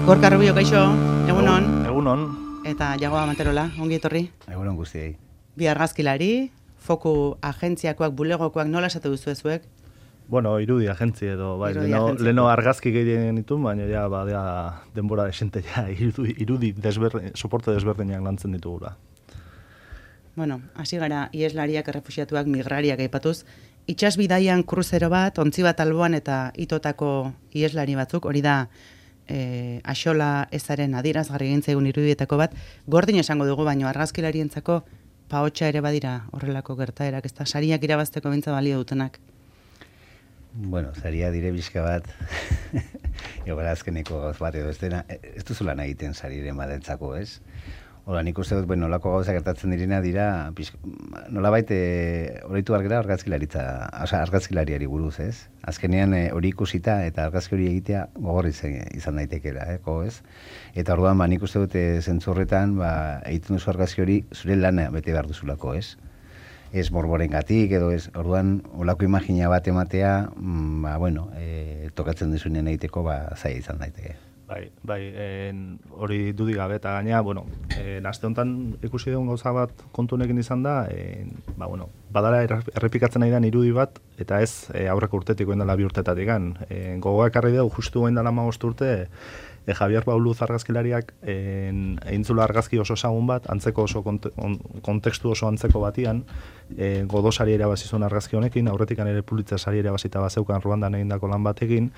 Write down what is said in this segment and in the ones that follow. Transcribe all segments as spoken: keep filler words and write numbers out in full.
Gorka Rubio, kaixo, egunon. Egunon. Eta Jagoa Manterola, ongi etorri. Egunon guztiei. Bi argazkilari, foku agentziakoak, bulegokoak, nola esate duzu ezuek? Bueno, irudi agentzi edo, bai, Irudi leno, agentzi. leno argazki gehien ditu, baina ja, ba, ja, denbora desente ja, irudi, irudi desberdin, soporte desberdinak lantzen ditugula. Bueno, hasi gara ieslariak, errefuxiatuak, migrariak aipatuz, itsas bidaian kruzero bat, ontzi bat alboan eta itotako ieslari batzuk, hori da e, axola ezaren adierazgarri egin zaigun irudietako bat, gordin esango dugu, baino argazkilarientzako pahotsa ere badira horrelako gertaerak, ez da sariak irabazteko bintza balio dutenak. Bueno, zaria dire bizka bat, egora azkeneko gauz bat edo ez dena, ez duzula nahi egiten sariren badentzako, ez? Hola, nik uste dut, bueno, nolako gauza gertatzen direna dira, nolabait horreitu argera argazkilaritza, oza, argazkilariari buruz, ez? Azkenean hori ikusita eta argazki hori egitea gogorri izan daitekela, eh, ez? Eta orduan, ba, nik uste dut zentzurretan, ba, egiten duzu argazki hori zure lana bete behar duzulako, ez? Ez morboren gatik, edo ez, orduan, olako imagina bat ematea, mm, ba, bueno, e, tokatzen dizunen egiteko, ba, zaila izan daiteke. Bai, bai, en, hori dudik gabe, eta gaina, bueno, en, aste honetan ikusi dugun gauza bat kontunekin izan da, en, ba, bueno, badala errepikatzen nahi den irudi bat, eta ez e, aurreko urtetik oen dela bi urtetatik gan. E, gogoak arri dugu, justu oen dela magost urte, e, Javier Bauluz argazkilariak egin zula argazki oso ezagun bat, antzeko oso konte, on, kontekstu oso antzeko batian, e, godo sari erabazizun argazki honekin, aurretikan ere Pulitzer sari erabazita bazeukan Ruandan egindako lan batekin,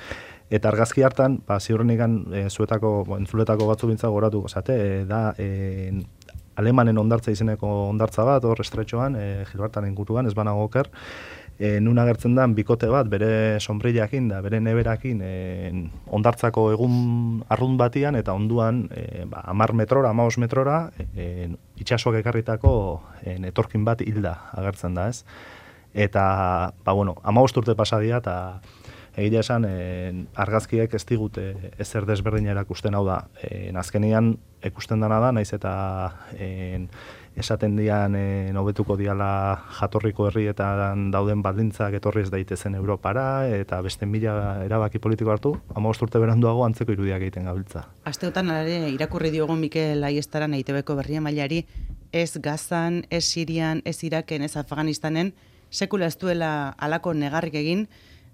eta argazki hartan, ba, ziurrenikan e, zuetako, bo, entzuletako batzu bintza goratu gozate, e, da e, alemanen ondartza izeneko ondartza bat, hor estretxoan, e, Gilbertaren inguruan, ez banago oker, e, nun agertzen da bikote bat, bere sombrillakin da, bere neberakin, e, ondartzako egun arrun batian, eta onduan e, ba, amar metrora, amaos metrora, e, itxasoak ekarritako e, etorkin bat hilda agertzen da, ez? Eta, ba, bueno, amaost urte pasadia, eta egia esan, eh, argazkiek ez digute ezer desberdina erakusten, hau da, eh, azkenean ikusten dana da, naiz eta eh, esaten dian eh, hobetuko diala jatorriko herrietan dauden baldintzak etorri ez daitezen Europara, eta beste mila erabaki politiko hartu, hamabost urte beranduago antzeko irudiak egiten gabiltza. Asteotan ere irakurri diogun Mikel Aiestaran E I T Bko berrien mailari, ez Gazan, ez Sirian, ez Iraken, ez Afganistanen, sekula ez duela halako negarrik egin,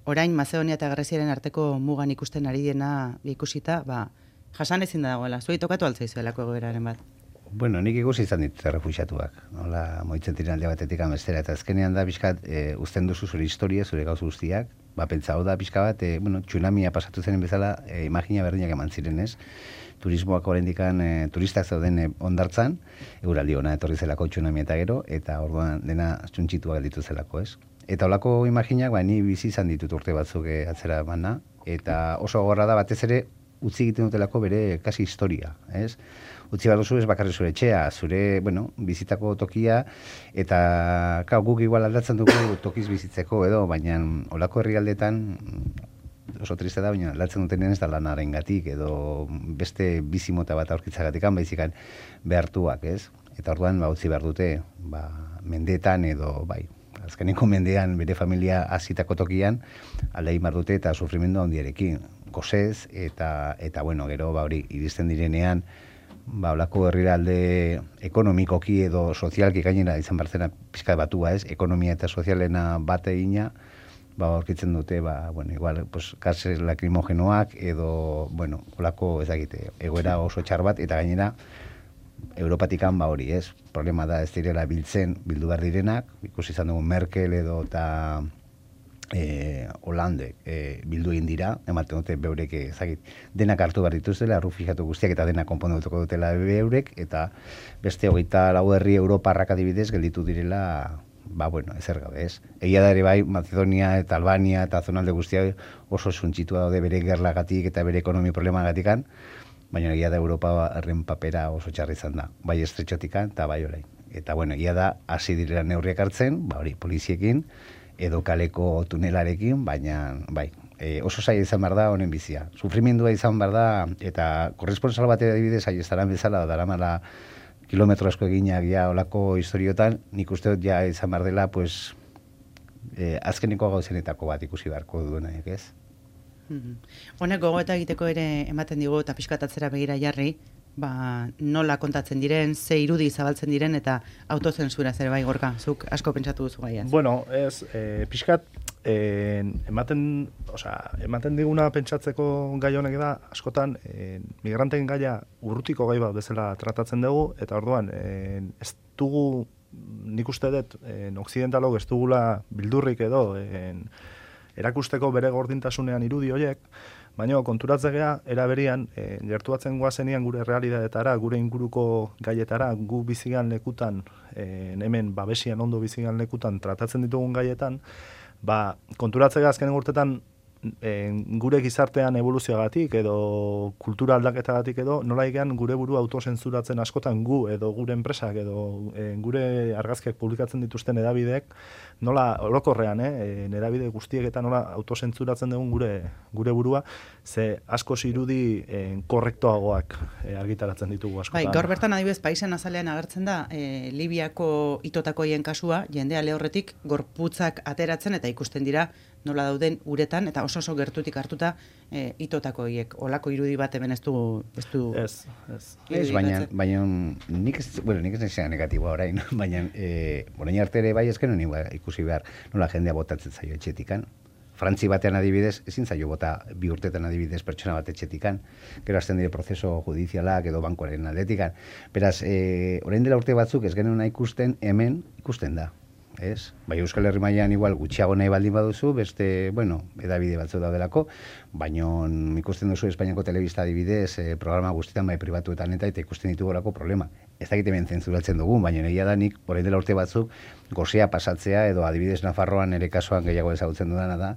orain Mazedonia eta Greziaren arteko mugan ikusten ari dena ikusita, ba, jasan ezin da dagoela. Zuei tokatu altzaizuelako egoeraren bat. Bueno, nik ikusi izan ditut errefuxiatuak. Nola, moitzen tiran alde batetik amestera, eta azkenean da pixkat e, uzten duzu zure historia, zure gauz guztiak, ba, pentsa hau da pixka bat, e, bueno, tsunamia pasatu zen bezala, e, imagina berdinak eman ziren, ez? Turismoak oraindikan e, turistak zauden e, ondartzan, euraldi ona etorri zelako tsunamia eta gero, eta orduan dena txuntxitua gelditu zelako, ez? Eta holako imaginak, ba, ni bizi izan ditut urte batzuk e, atzera bana, eta oso gogorra da batez ere utzi egiten dutelako bere kasi historia, ez? Utzi bat duzu ez bakarri zure etxea, zure, bueno, bizitako tokia, eta kau, guk igual aldatzen dugu tokiz bizitzeko edo, baina holako herrialdetan oso triste da, baina aldatzen duten ez da lanaren gatik, edo beste bizimota bat aurkitzagatikan, baizikan behartuak, ez? Eta orduan, ba, utzi behar dute, ba, mendeetan edo, bai, azkeneko mendean bere familia hasitako tokian alde egin behar dute eta sufrimendu handiarekin, gozez, eta, eta bueno, gero, ba, hori, iristen direnean, ba, olako herrialde ekonomikoki edo sozialki gainera izan barzena pixka batua, ez? Ekonomia eta sozialena bate egina, ba, aurkitzen dute, ba, bueno, igual, pues, gases lakrimogenoak edo, bueno, olako, ezagite, egoera oso txar bat, eta gainera, Europatikan ba hori, ez? Problema da ez direla biltzen, bildu behar direnak, ikusi izan dugu Merkel edo eta e, Hollande e, bildu egin dira, ematen dute beurek ezagit, denak hartu behar dituztela, errufijatu guztiak eta denak konpondutuko dutela beurek, eta beste hogeita lau herri Europarrak adibidez gelditu direla, ba bueno, ezer gabe, ez? Egia da ere bai, Macedonia eta Albania eta zonalde guztiak oso suntxitua daude bere gerlagatik eta bere ekonomi problemagatikan, baina egia da Europa herren papera oso txarra izan da, bai estretxotikan eta bai orain. Eta bueno, egia da hasi direla neurriak hartzen, ba hori, poliziekin edo kaleko tunelarekin, baina bai, e, oso zaila izan behar da honen bizia. Sufrimendua izan behar da, eta korresponsal bat adibidez aiestaran bezala, daramala kilometro asko eginak ja olako historiotan, nik uste dut ja izan behar dela, pues, e, azkeneko gauzenetako bat ikusi beharko duenak, ez? Honek gogoeta egiteko ere ematen digu eta pixkatatzera begira jarri, ba, nola kontatzen diren, ze irudi zabaltzen diren eta autozensura zer bai Gorka, zuk asko pentsatu duzu gaiaz. Bueno, ez, e, pixkat, e, ematen, osea, ematen diguna pentsatzeko gai honek da, askotan, e, migranteen gaia urrutiko gai bat bezala tratatzen dugu, eta orduan, e, ez dugu, nik uste dut, e, okzidentalok ez dugula bildurrik edo, e, erakusteko bere gordintasunean irudi horiek, baina konturatzegea, eraberian, e, gertuatzen guazenian gure realitateetara, gure inguruko gaietara, gu bizigan lekutan, e, hemen babesian ondo bizigan lekutan tratatzen ditugun gaietan, ba, konturatzega azkenen urtetan e, gure gizartean evoluzioagatik edo kultura aldaketagatik edo nola egean gure burua autozentzuratzen askotan gu edo gure enpresak edo e, gure argazkiak publikatzen dituzten edabideek nola orokorrean, eh, edabide guztiek eta nola autozentzuratzen dugun gure gure burua, ze asko irudi e, korrektoagoak e, argitaratzen ditugu askotan. Bai, gaur bertan adibidez paisen azalean agertzen da e, Libiako itotakoien kasua, jendea lehorretik gorputzak ateratzen eta ikusten dira nola dauden uretan, eta oso oso gertutik hartuta e, itotakoiek. Olako irudi bat hemen ez du... Ez, du ez, ez. Ez, baina, baina nik ez, bueno, nik ez nezea negatiboa orain, baina e, orain arte ere bai ezken honi ikusi behar nola jendea botatzen zaio etxetikan. Frantzi batean adibidez, ezin zaio bota bi urtetan adibidez pertsona bat etxetikan, gero hasten dire prozeso judizialak edo bankoaren aldetikan. Beraz, e, orain dela urte batzuk ez genuen ikusten, hemen ikusten da. Ez? Bai, Euskal Herri mailan igual gutxiago nahi baldin baduzu, beste, bueno, edabide batzu daudelako, baina ikusten duzu Espainiako telebista adibidez, eh, programa guztietan bai pribatuetan eta eta ikusten ditugorako problema. Ez dakit hemen zentzuratzen dugun, baina egia da nik, orain dela urte batzuk, gozea pasatzea edo adibidez Nafarroan ere kasuan gehiago ezagutzen dudana da,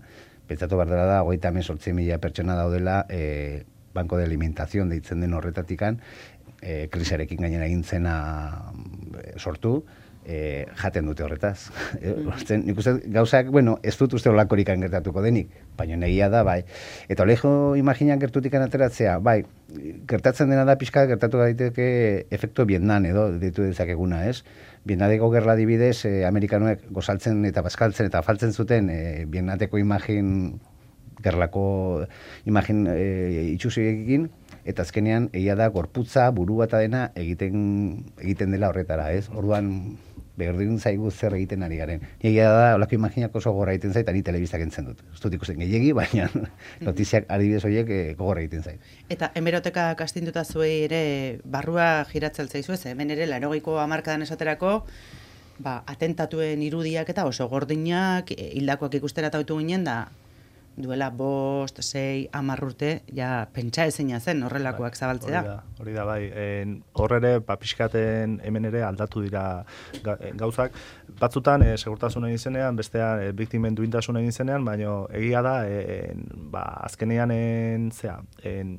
pentsatu behar dela da, hogeita hemezortzi mila pertsona daudela eh, banko de alimentación deitzen den horretatikan, eh, krisarekin gainera egin zena eh, sortu, E, jaten dute horretaz. Mm. Nik uste gauzak, bueno, ez dut uste olakorikan gertatuko denik, baina negia da, bai. Eta olejo imaginan gertutikan ateratzea, bai, gertatzen dena da pixka gertatu daiteke efektu Vietnam edo ditu dezakeguna, ez? Vietnameko gerla adibidez, eh, Amerikanoek gozaltzen eta bazkaltzen eta faltzen zuten eh, Vietnameko imagin, gerlako imagin eh, itxusiekin, eta azkenean egia da gorputza, burua eta dena egiten egiten dela horretara, ez? Orduan berdin zaigu zer egiten ari garen. Egia da, holako imaginak oso gogorra egiten zait, ani telebistak entzen dut. Ez dut ikusten gehiegi, baina notiziak adibidez horiek eh, gogorra egiten zait. Eta hemeroteka kastinduta zuei ere barrua giratzen zaizu ez, hemen ere laurogeiko hamarkadan esaterako, ba, atentatuen irudiak eta oso gordinak, hildakoak ikustera tautu ginen da, duela bost, sei, hamar urte, ja, pentsa ezina zen horrelakoak zabaltzea. Hori da, hori da, bai. Hor ere, papiskaten hemen ere aldatu dira gauzak. Batzutan, e, segurtasun egin zenean, bestean, e, biktimen duintasun egin zenean, baina egia da, e, ba, azkenean, en, zea, en,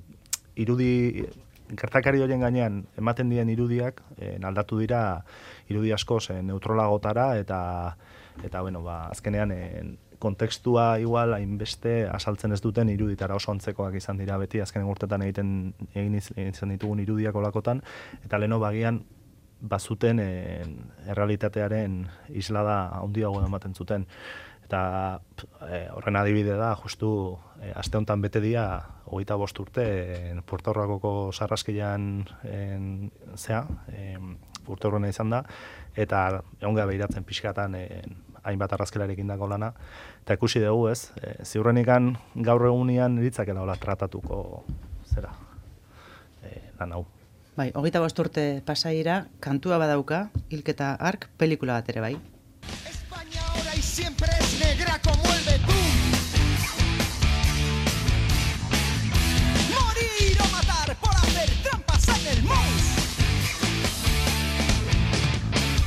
irudi, gertakari horien gainean, ematen dien irudiak, en, aldatu dira irudi asko zen neutrolagotara, eta, eta bueno, ba, azkenean, en, kontekstua igual hainbeste asaltzen ez duten iruditara oso antzekoak izan dira beti azkenen urtetan egiten egin izan ditugun irudiak olakotan, eta leno bagian bazuten e, errealitatearen islada handiago ematen zuten. Eta e, horren adibide da, justu e, aste honetan bete dia hogeita bost urte e, Puerto Ricoko sarraskilan zea, e, urte horrena izan da, eta egon gara behiratzen pixkatan e, hainbat arrazkelarekin dago lana, eta ikusi dugu ez, e, ziurrenikan gaur egunean eritzakela hola tratatuko zera e, lan hau. Bai, hogeita bost urte pasaira, kantua badauka, hilketa ark, pelikula bat ere bai. España ahora y siempre es negra como el betún. Morir o matar por hacer trampas en el mus.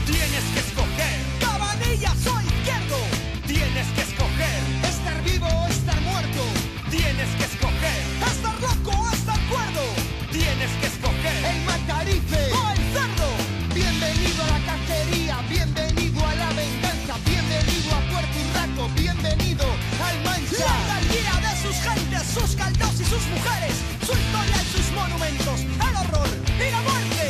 Tienes que escoger, Cabanillas o izquierdo. Tienes que escoger, estar vivo o estar muerto. Tienes que escoger, estar loco o estar cuerdo. Tienes que escoger, el matarife o el cerdo. Bienvenido a la cacería, bienvenido a la venganza, bienvenido a Puerto Rico, bienvenido al Mancha. La algarguía de sus gentes, sus caldos y sus mujeres, su historia y sus monumentos, el horror y la muerte.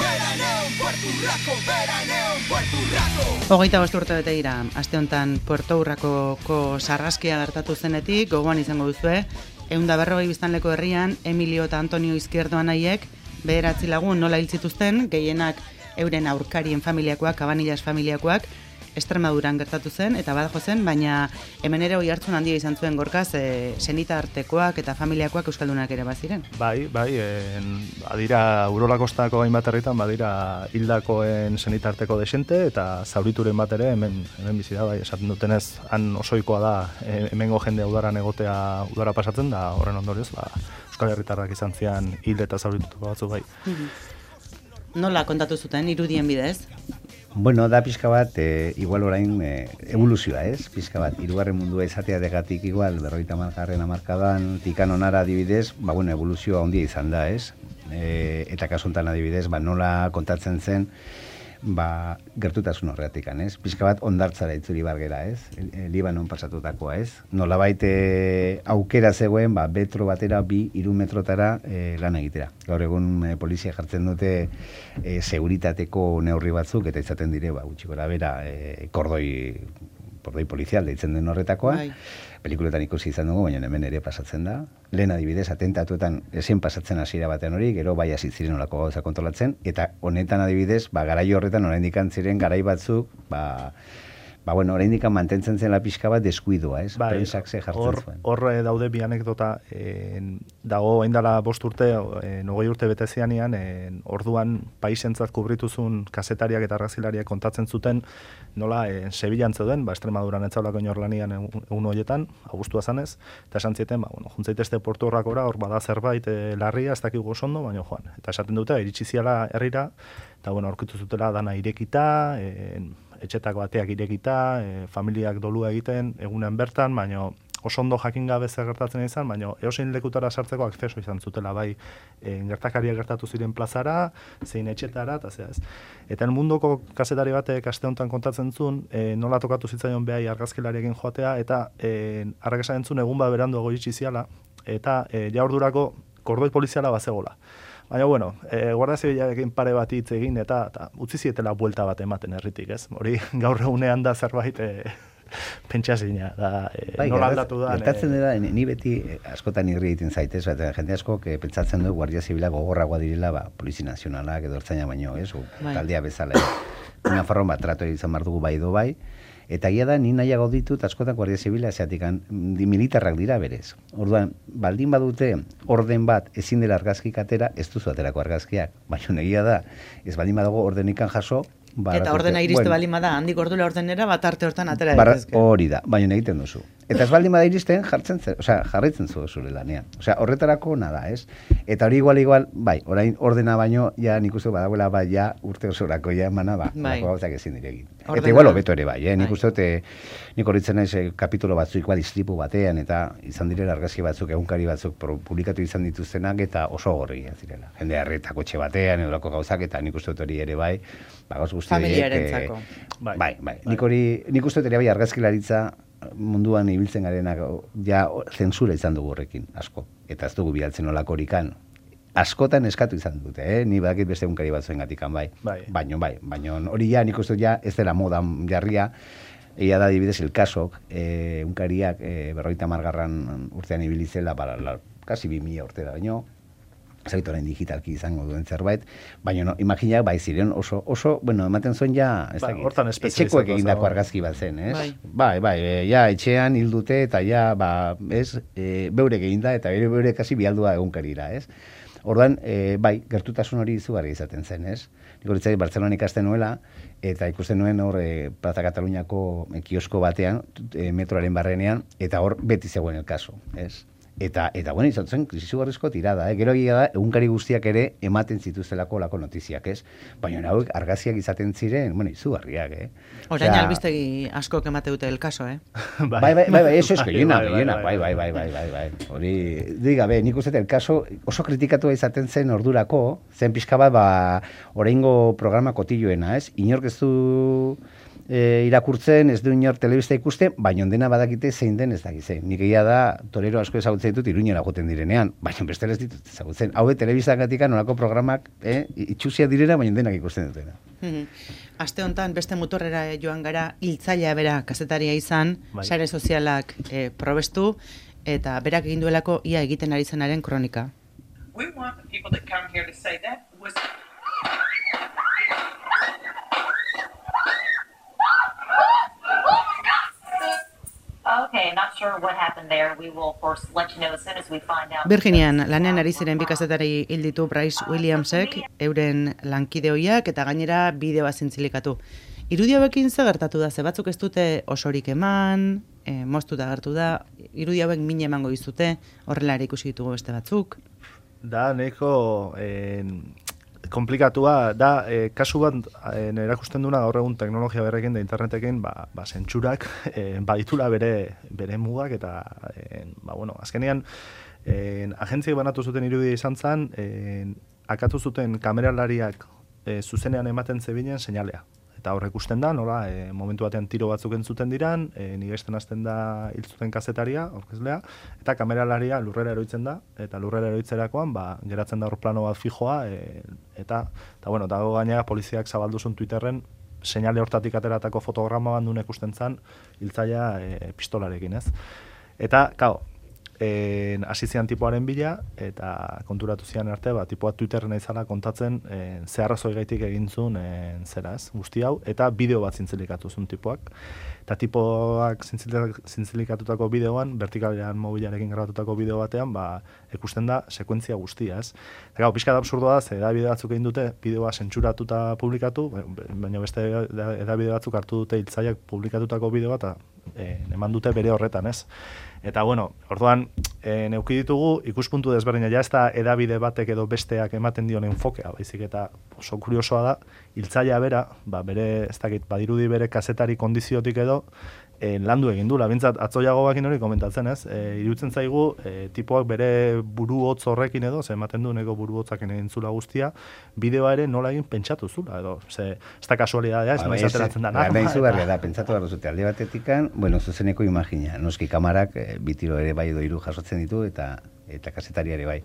Veraneo en Puerto Rico, veraneo en Hogeita bost urte bete dira, aste honetan Puerto Urrakoko sarraskia gertatu zenetik, gogoan izango duzue, ehun eta berrogei biztanleko herrian, Emilio eta Antonio Izquierdo anaiek, bederatzi lagun nola hil zituzten, gehienak euren aurkarien familiakoak, Cabanillas familiakoak, Extremaduran gertatu zen, eta badajo zen, baina hemen ere oihartzun handia izan zuen gorkaz, e, senitartekoak eta familiakoak euskaldunak ere baziren. Bai, bai, en, badira Urola Kostako hainbat herritan, badira hildakoen senitarteko desente, eta zaurituren bat ere hemen, hemen bizi da, bai, esaten dutenez, han osoikoa da, e, hemengo jende udaran egotea udara pasatzen, da horren ondorioz, ba, euskal herritarrak izan zian hil eta zaurituko batzu bai. Nola kontatu zuten, irudien bidez? Bueno, da pixka bat, e, igual orain e, evoluzioa, ez? Pixka bat, hirugarren mundua izatea degatik igual, berrogeita hamargarren hamarkadan, tikan onara adibidez, ba, bueno, evoluzioa ondia izan da, ez? E, eta kasu honetan adibidez, ba, nola kontatzen zen, ba, gertutasun horretik, ez? Pixka bat ondartzara itzuri bargera, ez? E, Libanon pasatutakoa, ez? Nolabait e, aukera zegoen, ba, metro batera, bi, hiru metrotara e, lan egitera. Gaur egun e, polizia jartzen dute e, seguritateko neurri batzuk, eta izaten dire, ba, gutxi gora bera, e, kordoi, kordoi polizial deitzen den horretakoa. Bai. Pelikuletan ikusi izan dugu, baina hemen ere pasatzen da. Lehen adibidez, atentatuetan ezin pasatzen hasiera batean hori, gero bai hasi ziren olako gauza kontrolatzen, eta honetan adibidez, ba, garai horretan oraindik ziren garai batzuk, ba, ba bueno, oraindik mantentzen zen la pixka bat deskuidoa, ez? Bai, Prensak ze jartzen hor, zuen. Hor daude bi anekdota, en, dago oindala bost urte, en, ogoi urte bete zianean, en, orduan paisentzat kubrituzun kazetariak eta argazilariak kontatzen zuten, nola, en, Sevillan zeuden, ba, Extremaduran etzaulako inorlanian egun horietan, abuztua zanez, eta esan zieten, ba, bueno, juntzaitezte Puerto Urrakora, hor bada zerbait e, larria, ez dakigu ondo, baina joan. Eta esaten dute, iritsi ziala herrira, eta bueno, aurkitu zutela dana irekita, en, etxetako bateak irekita, e, familiak dolua egiten, egunen bertan, baina oso ondo jakin gabe zer gertatzen izan, baina eosein lekutara sartzeko akzeso izan zutela, bai, e, gertakariak gertatu ziren plazara, zein etxetara, eta zea ez. Eta el mundoko kazetari batek aste honetan kontatzen zuen, e, nola tokatu zitzaion behai argazkilariekin joatea, eta e, arrak esan entzun egun bat beranduago iritsi ziala, eta e, ja ordurako kordoi poliziala bazegola. Baina, bueno, e, Guardia Zibilarekin pare bat hitz egin eta, eta utzi zietela buelta bat ematen herritik, ez? Hori gaur egunean da zerbait e, pentsazina, da e, bai, nola aldatu da. Gertatzen dira, e, ni beti e, askotan irri egiten zaitez, eta jende asko e, pentsatzen du Guardia Zibila gogorragoa direla, ba, Polizi Nazionalak edo ertzaina baino, ez? O, taldea bezala. Una forma bat trato izan behar dugu bai do bai, eta ia da, ni nahiago ditut askotan Guardia Zibila zeatikan militarrak dira berez. Orduan, baldin badute orden bat ezin dela argazkik atera, ez duzu aterako argazkiak. Baina negia da, ez baldin badago ordenikan jaso, eta ordena iriste bueno, baldin bada, handik ordula ordenera bat arte hortan atera daitezke. Hori da, baina egiten duzu. Eta ez baldin bada iristen jartzen zen, osea, jarraitzen zu zure lanean. Osea, horretarako nada, ez? Eta hori igual igual, bai, orain ordena baino ja nik uste badagoela bai ja urte osorako ja emana ba, bai. Gauzak ezin diregin. Eta igual hobeto ere bai, eh? Nik uste dute nik horitzen naiz kapitulo batzuk igual istripu batean eta izan direla argazki batzuk, egunkari batzuk publikatu izan dituztenak eta oso gorriak zirela. Jende harretako etxe batean edolako gauzak eta nik uste dut hori ere bai, ba gauz guzti familiarentzako. Bai, bai, bai. Nik hori nik uste dut ere bai argazkilaritza munduan ibiltzen garenak ja zentsura izan dugu horrekin, asko. Eta ez dugu bialtzen olako horikan. Askotan eskatu izan dute, eh? Ni badakit beste egunkari batzuen gatikan, bai. bai. Baino, bai, baino hori ja nik uste ja ez dela modan jarria. Egia da adibidez el kasok, eh, egunkariak eh, berrogeita hamargarren urtean ibilizela, para la, kasi bi mila urtera baino, zaitoren digitalki izango duen zerbait, baina no, imaginak bai ziren oso, oso, bueno, ematen zuen ja, ez ba, dakit, etxekoek egindako argazki bat zen, ez? Bai, bai, bai e, ja, etxean hildute eta ja, ba, ez, e, beurek eginda eta bere beurek kasi bialdua egunkarira, ez? Orduan, e, bai, gertutasun hori izugarri izaten zen, ez? Nik horitzai Bartzelonan ikasten nuela, eta ikusten nuen hor e, Plaza Kataluniako e, kiosko batean, e, metroaren barrenean, eta hor beti zegoen el kaso, ez? Eta, eta bueno, izan zen, krisizugarrizko tirada, eh? Gero egia da, egunkari guztiak ere ematen zituztelako lako notiziak, ez? Baina hauek argaziak izaten ziren, bueno, izugarriak, eh? Orain albistegi asko emate dute el caso, eh? bai, bai, bai, bai, eso es que llena, llena, bai, bai, bai, bai, bai, bai. Hori, diga, be, nik uste el caso oso kritikatua izaten zen ordurako, zen pixka bat, ba, oraingo programa kotilloena, ez? Inork ez du e, irakurtzen, ez du inor telebista ikusten, baina ondena badakite zein den ez dakit zein. Nik egia da, torero asko ezagutzen ditut Iruñera joten direnean, baina bestela ez ditut ezagutzen. Hau telebistagatik nolako programak eh, itxusia direna, baina denak ikusten dutena. Aste hontan beste muturrera joan gara, hiltzailea bera kazetaria izan, bai. sare sozialak eh, probestu, eta berak egin duelako ia egiten ari zenaren kronika. We want the people that come here to say that was Okay, not sure what happened there. We will, of course, let you know as soon as we find out. Virginian lanean ari ziren bi kazetari hil ditu Bryce Williamsek, euren lankide ohiak eta gainera bideoa zintzilikatu. Irudi hauekin ze gertatu da, ze batzuk ez dute osorik eman, e, moztuta gertu da, irudi hauek min emango dizute, horrela ere ikusi ditugu beste batzuk. Da, nahiko eh, komplikatua, da, eh, kasu bat eh, erakusten duna gaur egun teknologia berrekin da internetekin, ba, ba zentsurak eh, baditula bere, bere mugak, eta, eh, ba, bueno, azkenean, eh, agentziek banatu zuten irudia izan zen, eh, akatu zuten kameralariak eh, zuzenean ematen zebinen seinalea. Eta hor ikusten da, nola, e, momentu batean tiro batzuk entzuten diran, e, nigesten hasten da hil zuten kazetaria, aurkezlea, eta kameralaria lurrera eroitzen da, eta lurrera eroitzerakoan, ba, geratzen da hor plano bat fijoa, e, eta, eta, bueno, dago gainera poliziak zabalduzun Twitterren, seinale hortatik ateratako fotograma bandun ikusten zan, hiltzailea e, pistolarekin, ez? Eta, kao, En, hasi zian tipoaren bila, eta konturatu zian arte, ba, tipoa Twitterren izala kontatzen en, ze arrazoi gaitik egin zuen en, zera ez, guzti hau, eta bideo bat zintzilikatu zuen tipoak. Eta tipoak zintzilikatutako bideoan, vertikalean mobilarekin grabatutako bideo batean, ba, ikusten da sekuentzia guztia, ez. Eta gau, pixka da absurdoa da, ze edabide batzuk egin dute, bideoa zentsuratuta publikatu, baina beste edabide batzuk hartu dute hiltzaileak publikatutako bideoa, eta e, eman dute bere horretan, ez. Eta, bueno, orduan, e, neuki ditugu, ikuspuntu desberdina, ja ez da edabide batek edo besteak ematen dion enfokea, baizik eta oso kuriosoa da, hiltzailea bera, ba, bere, ez dakit, badirudi bere kazetari kondiziotik edo, e, landu egin du, labintzat atzoiago bakin hori komentatzen, ez? E, iruditzen zaigu, e, tipoak bere buru hotz horrekin edo, ze ematen du nego buru hotzakin egin zula guztia, bideoa ere nola egin pentsatu zula, edo, ze, ez da kasualidadea, ez noiz ateratzen da. Ba, izu berria da, pentsatu behar duzute, alde batetikan, bueno, zuzeneko imagina, noski kamarak, e, bitiro ere bai edo hiru jasotzen ditu, eta eta kazetari ere bai.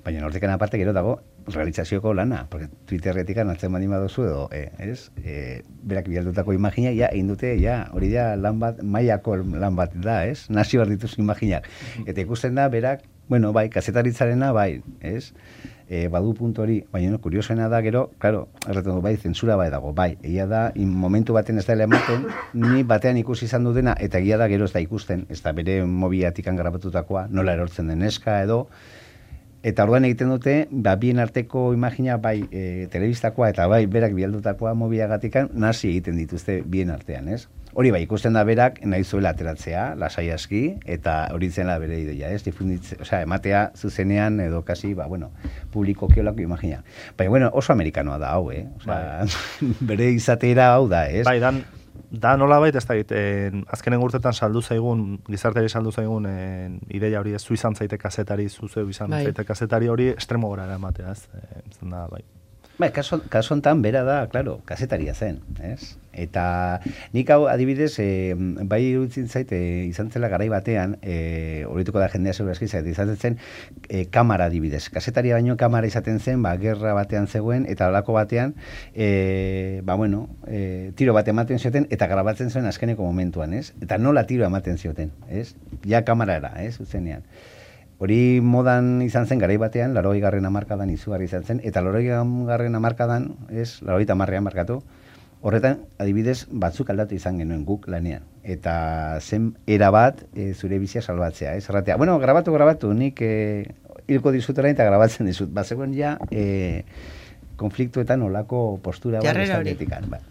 Baina hortikan aparte gero dago realizazioko lana, porque Twitterretikan atzen baldin baduzu edo, eh, ez? Eh, berak bidaldutako imagina ja egin dute, ja, hori da lan bat, mailako lan bat da, ez? Nazio behar dituzu imaginak. Eta ikusten da berak, bueno, bai, kazetaritzarena bai, ez? E, badu puntu hori, baina no, kuriosoena da gero, claro, erretzen du bai, zentsura bai dago, bai, egia da, in, momentu baten ez da ematen, ni batean ikusi izan du dena, eta egia da gero ez da ikusten, ez da bere mobiatikan grabatutakoa, nola erortzen den neska edo, eta orduan egiten dute, ba, bien arteko imagina bai e, telebistakoa eta bai berak bialdutakoa mobiagatikan nasi egiten dituzte bien artean, ez? Hori bai, ikusten da berak nahi zuela ateratzea, lasai aski, eta hori zela bere ideia, ez? Difunditze, osea, ematea zuzenean edo kasi, ba, bueno, publiko kiolako imagina. Baina, bueno, oso amerikanoa da hau, eh? Osea, bai. Bere izatera hau da, ez? Bai, dan, da nola baita ez da egiten, azkenen urtetan saldu zaigun, gizarteri saldu zaigun en, ideia hori ez, zu izan zaite kazetari, zu zeu izan bai. zaite kazetari hori estremo gora eramatea, ez? E, da, bai. Bai, kaso, kaso hontan bera da, claro, kazetaria zen, ez? Eta nik hau adibidez, e, bai iruditzen zait, e, izan zela garai batean, e, horituko da jendea segurazki zait, izan zen e, kamara adibidez. Kazetaria baino kamara izaten zen, ba, gerra batean zegoen, eta holako batean, e, ba, bueno, e, tiro bat ematen zioten, eta grabatzen zuen azkeneko momentuan, ez? Eta nola tiro ematen zioten, ez? Ja kamarara, ez? Zuzenean. Hori modan izan zen garai batean, laurogei garren hamarkadan izugarri izan zen, eta laurogei garren hamarkadan, ez, laurogei hamarrean markatu, horretan, adibidez, batzuk aldatu izan genuen guk lanean. Eta zen era bat e, zure bizia salbatzea, ez, erratea. Bueno, grabatu, grabatu, nik e, hilko dizutera eta grabatzen dizut. Ba, zegoen ja, e, konfliktuetan olako postura bat estandetikan. Ba.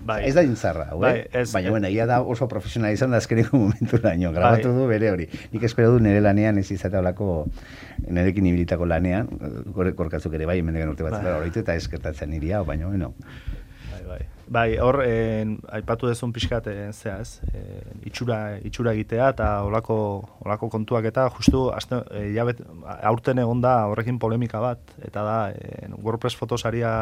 Bai. Ez da intzarra, bai, ez, baina, bueno, ia da oso profesionalizan da azkeneko momentu laino, grabatu bai. Du bere hori. Nik espero du nire lanean ez izatea olako, nirekin ibilitako lanean, korkatzuk ere bai, emendegan urte bat zela horretu, eta eskertatzen niri hau, baina, bueno. Bai, bai. Bai, hor, en, aipatu dezun pixkat, en, zea ez, en, itxura, itxura egitea eta olako, olako kontuak eta justu, azte, e, jabet, aurten egon da horrekin polemika bat, eta da, en, WordPress fotosaria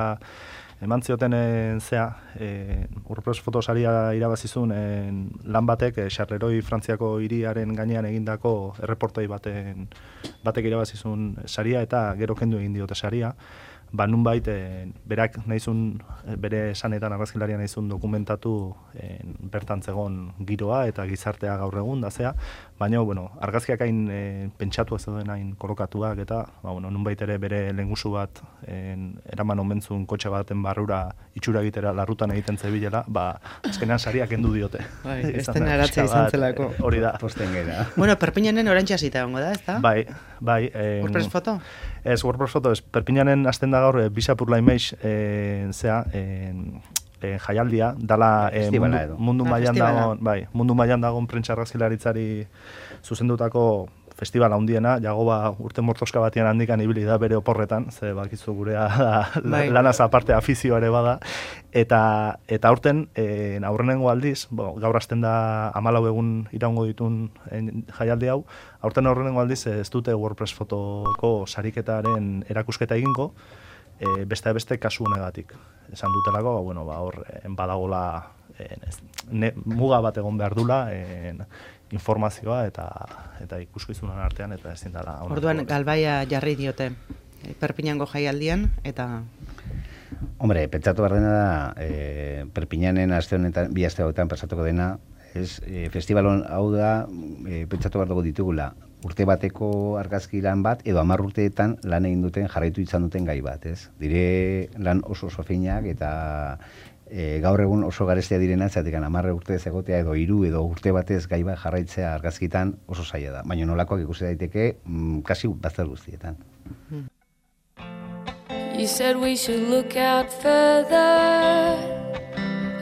eman zioten en, zea, e, WordPress fotosaria irabazizun en, lan batek, e, Charleroi Frantziako hiriaren gainean egindako erreportoi baten batek irabazizun saria eta gero kendu egin diote saria. Ba, nunbait, e, berak nahizun, bere esanetan argazkilaria nahizun dokumentatu e, bertan zegon giroa eta gizartea gaur egun da zea, baina, bueno, argazkiak hain e, pentsatu ez duen hain kolokatuak eta, ba, bueno, nunbait ere bere lehengusu bat en, eraman omentzun kotxe baten barrura itxura egitera larrutan egiten zebilela, ba, azkenean sariak kendu diote. Bai, esten aratzea izan zelako. Hori da. Posten gara. Bueno, Perpignanen orantxa zita gongo da, ez da? Bai, bai. En, WordPress foto? Ez, WordPress foto, ez, Perpignanen azten da gaur, e, Bisapurla Image, e, zea, e, e, jaialdia, dala e, mundu, mundu ah, mailan dagoen, bai, mundu mailan dagoen prentsa argazkilaritzari zuzendutako festival handiena, Jagoba urte mortoska batian handikan ibili da bere oporretan, ze bakizu gurea da, bai. Lanaz aparte afizioa ere bada, eta eta aurten, e, aurrenengo aldiz, bo, gaur hasten da hamalau egun iraungo ditun en, jaialdi hau, aurten aurrenengo aldiz ez dute WordPress fotoko sariketaren erakusketa egingo, e, beste beste kasu honegatik. Esan dutelako, bueno, ba, hor, badagola ne, muga bat egon behar dula, en, informazioa eta eta ikuskizunen artean eta ezin dela. Orduan galbaia jarri diote Perpignango jaialdian eta Hombre, pentsatu behar dena da, e, Perpignanen aste honetan, bi aste hauetan pasatuko dena, ez, e, festivalon hau da, e, pentsatu behar dugu ditugula, urte bateko argazki lan bat, edo hamar urteetan lan egin duten, jarraitu izan duten gai bat, ez? Dire lan oso oso finak eta E, gaur egun oso garestia direna, zatik hamar urte ez egotea edo hiru edo urte batez gai bat jarraitzea argazkitan oso zaila da. Baina nolakoak ikusi daiteke mm, kasi bazter guztietan. You said we should look out further.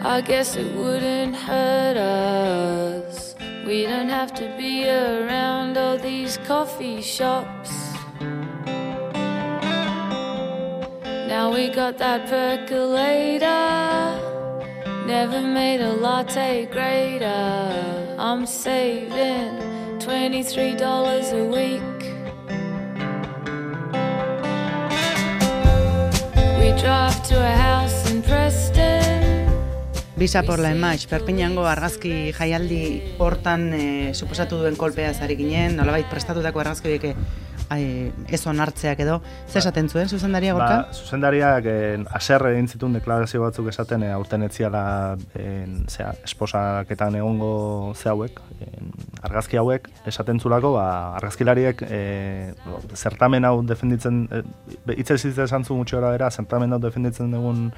I guess it wouldn't hurt us. We don't have to be around all these coffee shops. Now we got that percolator, never made a latte greater. I'm saving twenty-three dollars a week. We drive to a house in Preston. Bisa por la Image, Perpignango argazki jaialdi hortan e, suposatu duen kolpea zari ginen, nolabait prestatutako argazki deke ez onartzeak edo, ze esaten zuen zuzendaria gorka? Ba, zuzendariak eh, aserre egin zituen deklarazio batzuk esaten eh, aurten etziala en, zera, esposaketan egongo ze hauek, en, argazki hauek esaten zulako, ba, argazkilariek eh, zertamen hau defenditzen, eh, hitz ez esan zu mutxo bera, zertamen hau defenditzen dugun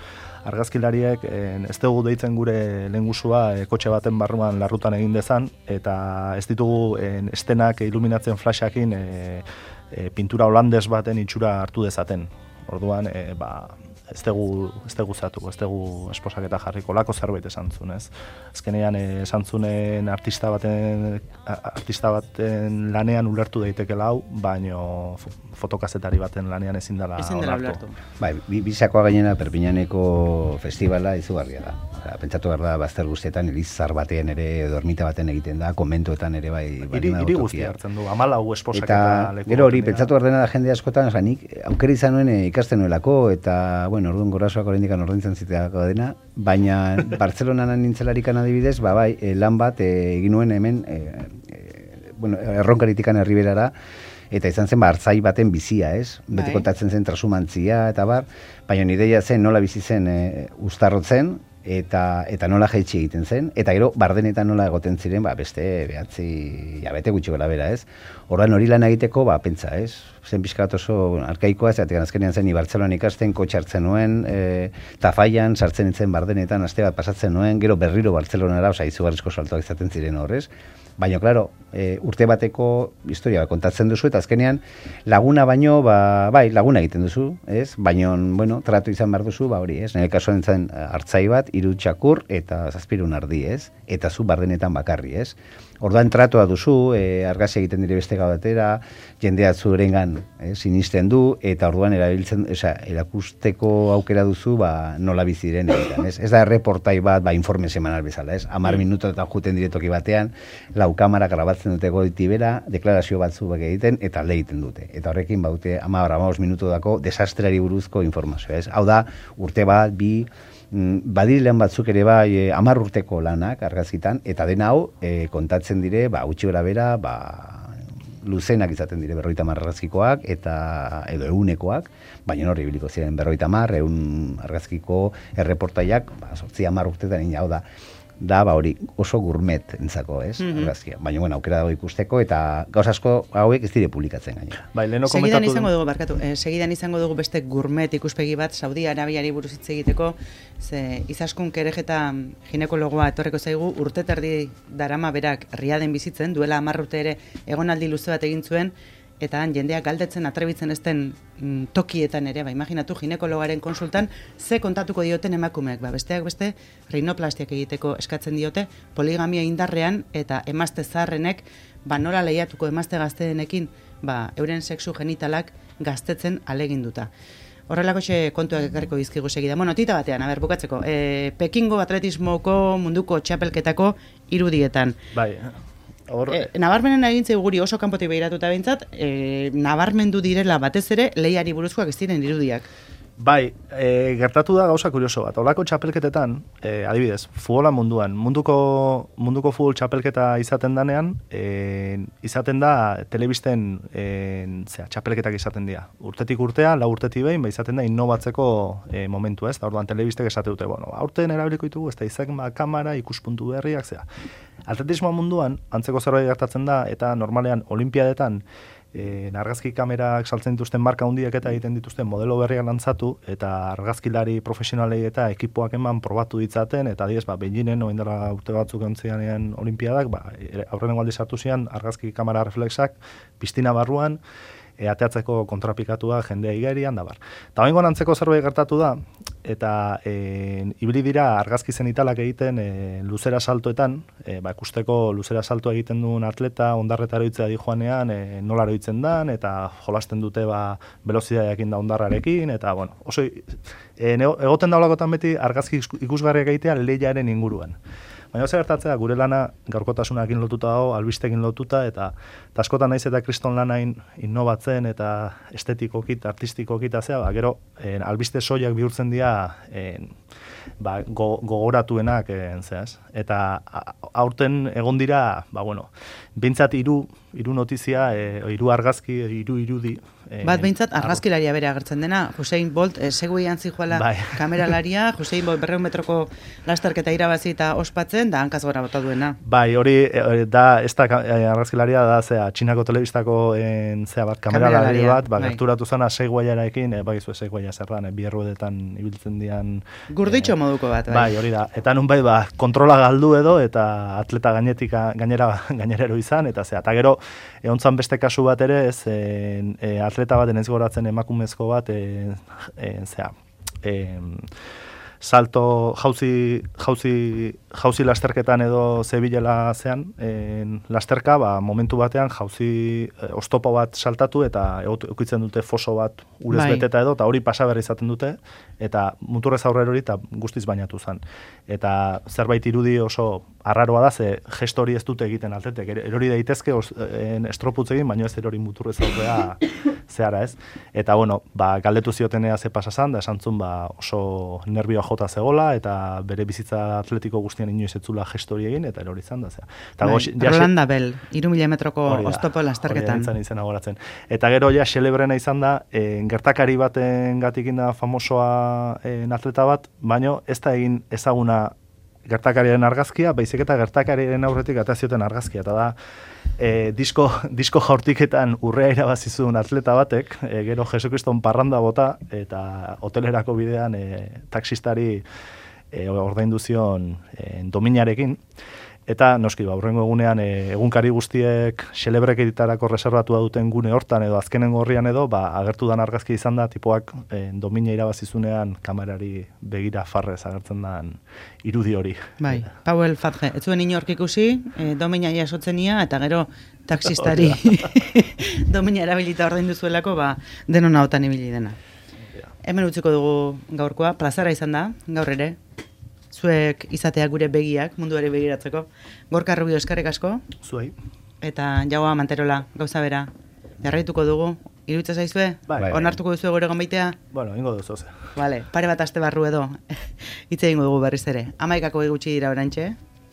argazkilariek en, ez dugu deitzen gure lehengusua e, kotxe baten barruan larrutan egin dezan, eta ez ditugu en, estenak iluminatzen flashakin e, e, pintura holandes baten itxura hartu dezaten. Orduan, e, ba, ez dugu ez dugu zatuko, ez dugu esposaketa jarriko, lako zerbait esan zuen, ez? Azkenean esan zunen artista baten, artista baten lanean ulertu daitekela hau, baino fotokazetari baten lanean ezin dela ulertu. Bai, bisakoa gainera Perpignaneko festivala izugarria da. Osa, pentsatu behar da bazter guztietan, elizar batean ere, dormita baten egiten da, komentuetan ere bai. Iri, iri guztia hartzen du, hamalau esposaketa leku. Eta gero hori, pentsatu behar dena da jende askotan, oza, nik aukera izan nuen ikasten nuelako, eta, bueno, orduan gorasoak oraindikan ordaintzen ziteako dena, baina Bartzelonan nintzelarikan adibidez, ba bai, lan bat egin nuen hemen, e, e, bueno, erronkaritikan herriberara, eta izan zen ba, hartzai baten bizia, ez? Beti kontatzen zen trasumantzia, eta bar, baina ideia zen nola bizi zen e, uztarrotzen, eta eta nola jaitsi egiten zen, eta gero bardenetan nola egoten ziren, ba, beste behatzi jabete gutxi gora bera, ez? Orduan hori lan egiteko, ba, pentsa, ez? Zen pixkat oso arkaikoa, ez atekan azkenean zen Bartzelonan ikasten, kotxe hartzen nuen, e, Tafaian sartzen nintzen bardenetan, aste bat pasatzen nuen, gero berriro Bartzelonara, oza, izugarrizko saltoak izaten ziren horrez. Baina, klaro, e, urte bateko historia bat kontatzen duzu, eta azkenean laguna baino, ba, bai, laguna egiten duzu, ez? Baina, bueno, tratu izan behar duzu, ba hori, ez? Nire kasuan zen hartzai bat, hiru txakur eta zazpirun ardi, ez? Eta zu bardenetan bakarri, ez? Orduan tratua duzu, e, argazia egiten dire beste gau batera, jendea zurengan eh, sinisten du, eta orduan erabiltzen, esa, erakusteko aukera duzu, ba, nola bizi diren egiten, ez? Ez da erreportai bat, ba, informe semanal bezala, ez? Amar minutoetan juten diretoki batean, lau kamara grabatzen dute goiti bera, deklarazio batzu bak egiten, eta alde egiten dute. Eta horrekin, baute, amar, amabos minutu dako, desastreari buruzko informazioa, ez? Hau da, urte bat, bi, badilean batzuk ere bai hamar urteko lanak argazkitan, eta dena hau e, kontatzen dire, ba, utxi gora bera, ba, luzenak izaten dire berroita hamar argazkikoak, eta edo ehunekoak, baina hori biliko ziren berroita hamar, ehun argazkiko erreportaiak, ba, sortzi hamar urtetan ina, hau da, da, ba, hori oso gourmet entzako, ez, mm-hmm. argazkia. Baina, bueno, aukera dago ikusteko, eta gauz asko hauek ez dire publikatzen gainera. Bai, leheno segidan izango dugu, barkatu, eh, segidan izango dugu beste gourmet ikuspegi bat, Saudi Arabiari buruz hitz egiteko, ze Izaskun Kerejeta ginekologoa etorreko zaigu, urte terdi darama berak Riaden bizitzen, duela hamar urte ere egonaldi luze bat egin zuen, eta han jendeak galdetzen atrebitzen ezten mm, tokietan ere, ba, imaginatu ginekologaren konsultan, ze kontatuko dioten emakumeak, ba, besteak beste, rinoplastiak egiteko eskatzen diote, poligamia indarrean, eta emazte zaharrenek, ba, nola lehiatuko emazte gazteenekin, ba, euren sexu genitalak gaztetzen aleginduta. Horrelako xe kontuak ekarriko dizkigu segida. Bueno, tita batean, a ber, bukatzeko, e, Pekingo atletismoko munduko txapelketako irudietan. Bai, Hor... E, nabarmenen egintzei guri oso kanpotik behiratuta behintzat, e, nabarmendu direla batez ere lehiari buruzkoak ez diren irudiak. Bai, e, gertatu da gauza kurioso bat. Olako txapelketetan, e, adibidez, futbola munduan, munduko, munduko futbol txapelketa izaten danean, e, izaten da telebisten e, zera, txapelketak izaten dira. Urtetik urtea, lau urtetik behin, ba, izaten da innovatzeko e, momentu, ez? Da, orduan telebistek esate dute, bueno, aurten erabiliko ditugu, ez da izak ba, kamera, ikuspuntu berriak, zera. Atletismo munduan, antzeko zerbait gertatzen da, eta normalean olimpiadetan, E, argazki kamerak saltzen dituzten marka hundiak eta egiten dituzten modelo berriak lantzatu, eta argazkilari profesionalei eta ekipoak eman probatu ditzaten, eta diez, ba, Beijingen, oin dela urte batzuk ontzianean olimpiadak, ba, aurrenengo aldiz hartu zian argazki kamera reflexak, piztina barruan, e, ateatzeko kontrapikatua jendea igerian, da bar. Eta oingoan antzeko zerbait gertatu da, eta e, ibili dira argazki zenitalak egiten e, luzera saltoetan, e, ba, ikusteko luzera saltoa egiten duen atleta, ondarretara itzea di joanean, e, nola eroitzen dan, eta jolasten dute ba, velozidadeakin da ondarrarekin, eta bueno, oso e, egoten daulakotan beti argazki ikusgarriak egitea lehiaren inguruan. Baina ze gertatzea, gure lana gaurkotasunakin lotuta dago, albistekin lotuta, eta askotan naiz eta kriston lana in, innovatzen eta estetikokit, artistikokit, azea, ba, gero en, albiste soiak bihurtzen dira en, ba, go, gogoratuenak, en, zehaz. Eta aurten egon dira, ba, bueno, bintzat hiru hiru notizia, e, hiru argazki, hiru irudi. E, Bat behintzat argazkilaria bere agertzen dena, Usain Bolt, e, seguian zijoala bai. Kameralaria, Usain Bolt berreun metroko lasterketa irabazi eta ospatzen, da hankaz gora bota duena. Bai, hori e, da, ez da e, argazkilaria da, zea, Txinako telebistako en, zea bat, kameralari bat, ba, bai. Gerturatu zana seguaiarekin, e, bai, zue seguaia zerran, e, bierruedetan ibiltzen dian. Gurditxo e, moduko bat, bai. Bai, hori da, eta nun bai, ba, kontrola galdu edo, eta atleta gainetik gainera, gainerero izan, eta zea, eta gero, egontzan beste kasu bat ere, ez, e, e, atleta bat, enez goratzen emakumezko bat, e, e, zera, e, salto, jauzi, jauzi, jauzi lasterketan edo zebilela zean, e, lasterka, ba, momentu batean jauzi e, oztopo bat saltatu eta eukitzen dute foso bat urez bai. Beteta edo, eta hori pasaberri izaten dute, eta muturrez aurrera hori eta guztiz bainatu zen. Eta zerbait irudi oso arraroa da, ze gesto hori ez dute egiten atletek, erori daitezke estroputz egin, baina ez erori muturrez aurrera zehara ez. Eta bueno, ba, galdetu ziotenea ze pasazan, da esan zuen ba, oso nervioa jota zegola, eta bere bizitza atletiko guztian inoiz etzula gesto hori egin, eta erori izan da. Eta bai, Rolanda Bell, hiru mila metroko oztopo lasterketan. Hori da, izena goratzen. Eta gero ja xelebrena izan da, e, gertakari baten gatikin da famosoa e, atleta bat, baino ez da egin ezaguna gertakariaren argazkia, baizik eta gertakariaren aurretik atazioten argazkia, eta da e, disko, disko jaurtiketan urrea irabazizun atleta batek, e, gero Jesukriston parranda bota, eta hotelerako bidean e, taksistari e, ordaindu zion e, dominarekin, Eta noski, ba, hurrengo egunean e, egunkari guztiek xelebreketarako reservatua duten gune hortan edo azkenengo horrian edo, ba, agertu dan argazki izan da, tipoak e, domina irabazizunean kamerari begira farrez agertzen dan irudi hori. Bai, Pauel Fatge, ez zuen inork ikusi, e, domina jasotzenia, eta gero taxistari domina erabilita ordaindu zuelako, ba, denon ahotan ibili dena. Hemen utziko dugu gaurkoa, plazara izan da, gaur ere, zuek izatea gure begiak, munduari begiratzeko. Gorka Rubio, eskerrik asko. Zuei. Eta Jaua Manterola, gauza bera. Jarraituko dugu, iruditzen zaizue? Bai. Onartuko duzu gure gonbaitea? Bueno, ingo duzu, ze. Vale, pare bat aste barru edo. Hitz egingo dugu berriz ere. Hamaikako gutxi dira orantxe.